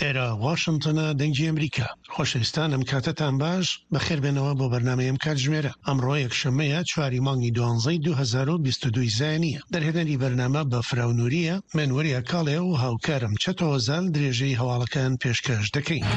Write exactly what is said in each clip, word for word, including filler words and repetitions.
ئێرە واشنتنە، دەنگی ئەمریکا. خۆشەویستان ئەم کاتەتان باش، بەخێربێنەوە بۆ بەرنامەی ئەم کاتژمێرە. ئەمڕۆ یەکشەممەیە چواری مانگی دوانزەی دوو هەزار و بیست و دوو ی زایینییە. دەرهێنەری بەرنامە بەفراو نورییە، من وەریا کاڵێ و هاوکارم چەتۆ هۆزال درێژەی هەواڵەکان پێشکەش دەکەین.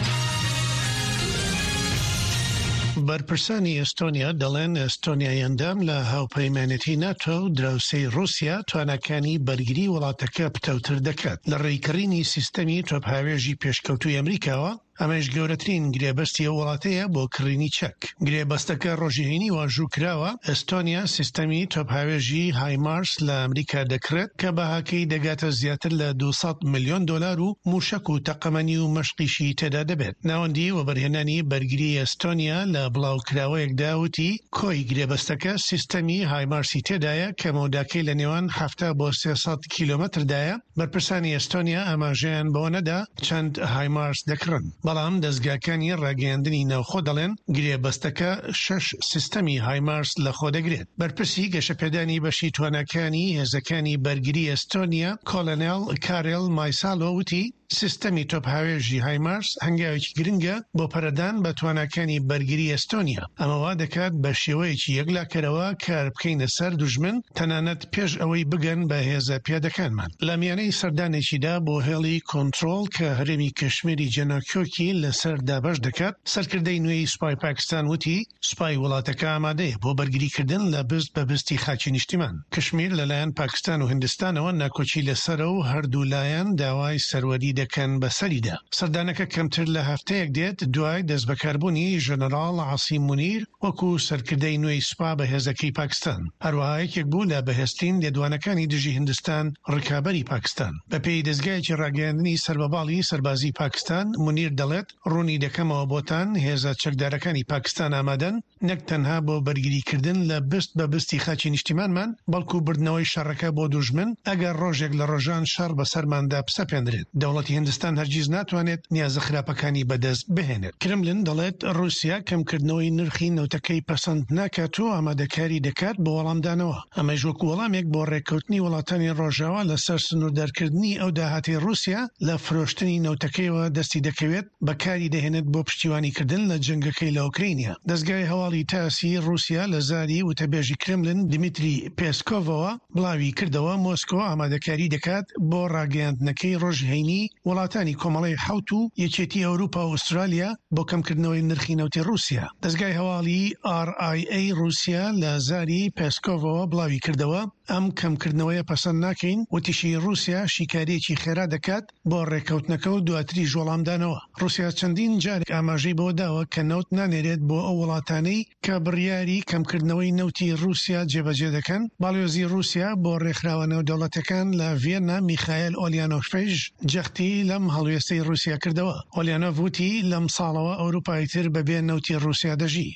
بەرپرسانی ئێستۆنیا دەڵێن ئێستۆنیای ئەندام لە هاوپەیمانێتی ناتۆ و دراوسێی ڕووسیا تواناکانی بەرگری وڵاتەکە پتەوتر دەکات لە ڕێی کڕینی سیستەمی تۆپهاوێژی پێشکەوتووی ئەمریکاوە، ئەمەیش گەورەترین گرێبەستی ئەو وڵاتەیە بۆ کڕینی چەک. گرێبەستەکە ڕۆژی هەینی واژوو کراوە، ئێستۆنیا سیستەمی تۆپهاوێژی هایمارس لە ئەمریکا دەکڕێت کە بەهاکەی دەگاتە زیاتر لە دوو سەد ملیۆن دۆلار و مووشەک و تەقەمەنی و مەشقیشی تێدا دەبێت. ناوەندی وەبەرهێنانی بەرگری ئێستۆنیا لە بڵاوکراوەیەکدا وتی، کۆی گرێبەستەکە سیستەمی هایمارسی تێدایە کە مەوداکەی لە نێوان حەفتا بۆ سێ سەد کیلۆمەتردایە. بەرپرسانی ئێستۆنیا ئاماژەیان بەوە نەدا چەند هایمارس دەکڕن، بەڵام دەزگاکانی ڕاگەیاندنی ناوخۆ دەڵێن گرێبەستەکە شەش سیستەمی هایمارس لەخۆدەگرێت. بەرپرسی گەشەپێدانی بەشی تواناکانی هێزەکانی بەرگری ئێستۆنیا کۆلۆنێڵ کارێل مایسالۆ وتی، سیستەمی تۆپهاوێژی هایمارس هەنگاوێکی گرنگە بۆ پەرەدان بە تواناکانی بەرگری ئێستۆنیا، ئەمە وا دەکات بە شێوەیەکی یەکلاکەرەوە کار بکەینە سەر دوژمن تەنانەت پێش ئەوەی بگەن بە هێزە پیادەکانمان. لە میانەی سەردانێکیدا بۆ هێڵی کۆنترۆڵ کە هەرێمی کشمیری جێناکۆکی لەسەر دابەش دەکات، سەرکردەی نوێی سوپای پاکستان وتی، سوپای وڵاتەکە ئامادەیە بۆ بەرگریکردن لە بست بە بستی خاکی نیشتیمان. کشمیر لەلایەن پاکستان و هیندستانەوە ناکۆکی لەسەرە و هەردوو لایەن داوای سەروەری دەکەن بەسەریدا. سەردانەکە کەمتر لە هەفتەیەک دێت دوای دەستبەکاربوونی ژەنەراڵ عاسیم مونیر وەکو سەرکردەی نوێی سوپا بەهێزەکەی پاکستان. هەروەها یەکێک بوو لە بەهێزترین لێدوانەکانی دژی هیندستان ڕکابەری پاکستان. بەپێی دەزگایەکی ڕاگەیاندنی سەر بە باڵی سەربازی پاکستان، مونیر دەڵێت، ڕوونی دەکەمەوە بۆتان هێزە چەکدارەکانی پاکستان ئامادەن نەک تەنها بۆ بەرگریکردن لە بست بە بستی خاکی نیشتیمانمان، بەڵکو بردنەوەی شەڕەکە بۆ دوژمن ئەگەر ڕۆژێک لە ڕۆژان شەڕ بەسەرماندا بسەپێندرێت. دەوڵەتی هیندستان هەرگیز ناتوانێت نیازە خراپەکانی بەدەست بهێنێت. کرملن دەڵێت ڕووسیا کەمکردنەوەی نرخی نەوتەکەی پەسەند ناکات و ئامادەکاری دەکات بۆ وەڵامدانەوە، ئەمەیش وەکو وەڵامێک بۆ ڕێککەوتنی وڵاتانی ڕۆژاوا لەسەر سنووردارکردنی ئەو داهاتەی ڕووسیا لە فرۆشتنی نەوتەکەیەوە دەستی دەکەوێت بەکاری دەهێنێت بۆ پشتیوانیکردن لە جەنگەکەی لە ئۆکرینیا. دەزگای هەواڵی تاسی ڕووسیا لە زاری وتەبێژی کرملن دیمیتری پێسکۆڤەوە بڵاوی کردەوە مۆسکۆ ئامادەکاری دەکات بۆ ڕاگەیاندنەکەی ڕۆژی هەینی وڵاتانی کۆمەڵەی حەوت و یەکێتی ئەوروپا و ئوسترالیا بۆ کەمکردنەوەی نرخی نەوتی ڕووسیا. دەزگای هەواڵی ئاڕ ئای ئەی ڕووسیا لە زاری پێسکۆڤەوە بڵاوی کردەوە ئەم کەمکردنەوەیە پەسەند ناکەین، وتیشی ڕووسیا شیکارییەکی خێرا دەکات بۆ ڕێککەوتنەکە و دواتریش وەڵامدانەوە. ڕووسیا چەندین جار ئاماژەی بەوە داوە کە نەوت نانێرێت بۆ ئەو وڵاتانەی کە بڕیاری کەمکردنەوەی نەوتی ڕووسیا جێبەجێ دەکەن. باڵیۆزی ڕووسیا بۆ ڕێکخراوە نێودەوڵەتیەکان لە ڤیەننا میخایل ئۆلیانۆفیش جەختی لەم هەڵوێستەی ڕووسیا کردەوە. ئۆلیانۆف وتی لەم ساڵەوە ئەوروپا ئیتر بەبێ نەوتی ڕووسیا دەژی.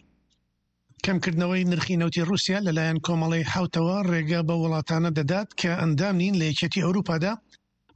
کەمکردنەوەی نرخی نەوتی ڕووسیا لەلایەن کۆمەڵەی حەوتەوە ڕێگە بەو وڵاتانە دەدات کە ئەندام نین لە یەکێتی ئەوروپادا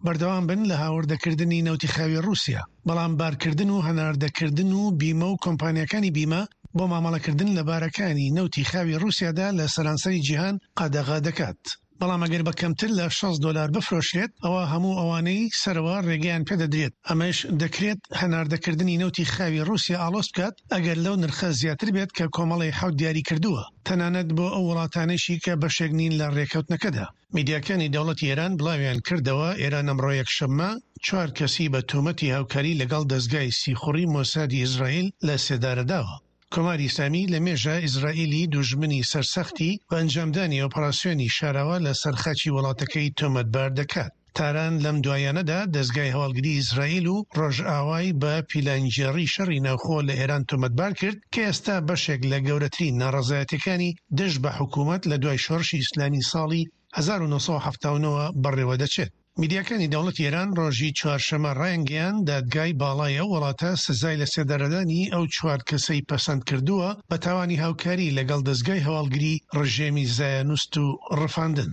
بەردەوام بن لە هاوردەکردنی نەوتی خاوی ڕووسیا، بەڵام بارکردن و هەناردەکردن و بیمە و کۆمپانیاکانی بیمە بۆ مامەڵەکردن لە بارەکانی نەوتی خاوی ڕووسیادا لە سەرانسەری جیهان قەدەغە دەکات. بەڵام ئەگەر بە کەمتر لە شەست دۆلار بفرۆشرێت ئەوا هەموو ئەوانەی سەرەوە ڕێگەیان پێدەدرێت، ئەمەش دەکرێت هەناردەکردنی نەوتی خاوی ڕووسیا ئاڵۆز بکات ئەگەر لەو نرخە زیاتر بێت کە کۆمەڵەی حەوت دیاریکردووە، تەنانەت بۆ ئەو وڵاتانەیشی کە بەشێک نین لە ڕێککەوتنەکەدا. میدیاکانی دەوڵەتی ئێران بڵاویان کردەوە، ئێران ئەمڕۆ یەکشەممە چوار کەسی بە تۆمەتی هاوکاری لەگەڵ دەزگای سیخوڕی مۆسادی ئیسرائیل لە سێدارە داوە. کۆماری ئیسلامی لە مێژە ئیسرائیلی دوژمنی سەرسەختی بە ئەنجامدانی ئۆپەراسیۆنی شاراوە لەسەر خاکی وڵاتەکەی تۆمەتبار دەکات. تاران لەم دواییانەدا دەزگای هەواڵگری ئیسرائیل و ڕۆژئاوای بە پیلانگێڕی شەڕی ناوخۆ لە ئێران تۆمەتبار کرد کە ئێستا بەشێک لە گەورەترین ناڕەزایەتیەکانی دژ بە حکوومەت لە دوای شۆڕشی ئیسلامی ساڵی هەزار و نۆ سەد و حەفتا و نۆ بەڕێوە دەچێت. میدیاکانی دەوڵەتی ئێران ڕۆژی چوارشەممە ڕایانگەیاند، دادگای باڵای ئەو وڵاتە سزای لەسێدارەدانی ئەو چوار کەسەی پەسەند کردووە بە تاوانی هاوکاری لەگەڵ دەزگای هەواڵگری ڕژێمی زایۆنیست و ڕفاندن.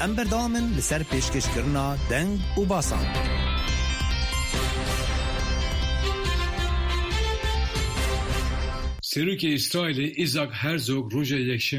ئەم بەردەوامن لەسەر پێشکەشکردنا دەنگ و باسان. Serokê Îsraîlê Isaac Herzog roja Yekşemê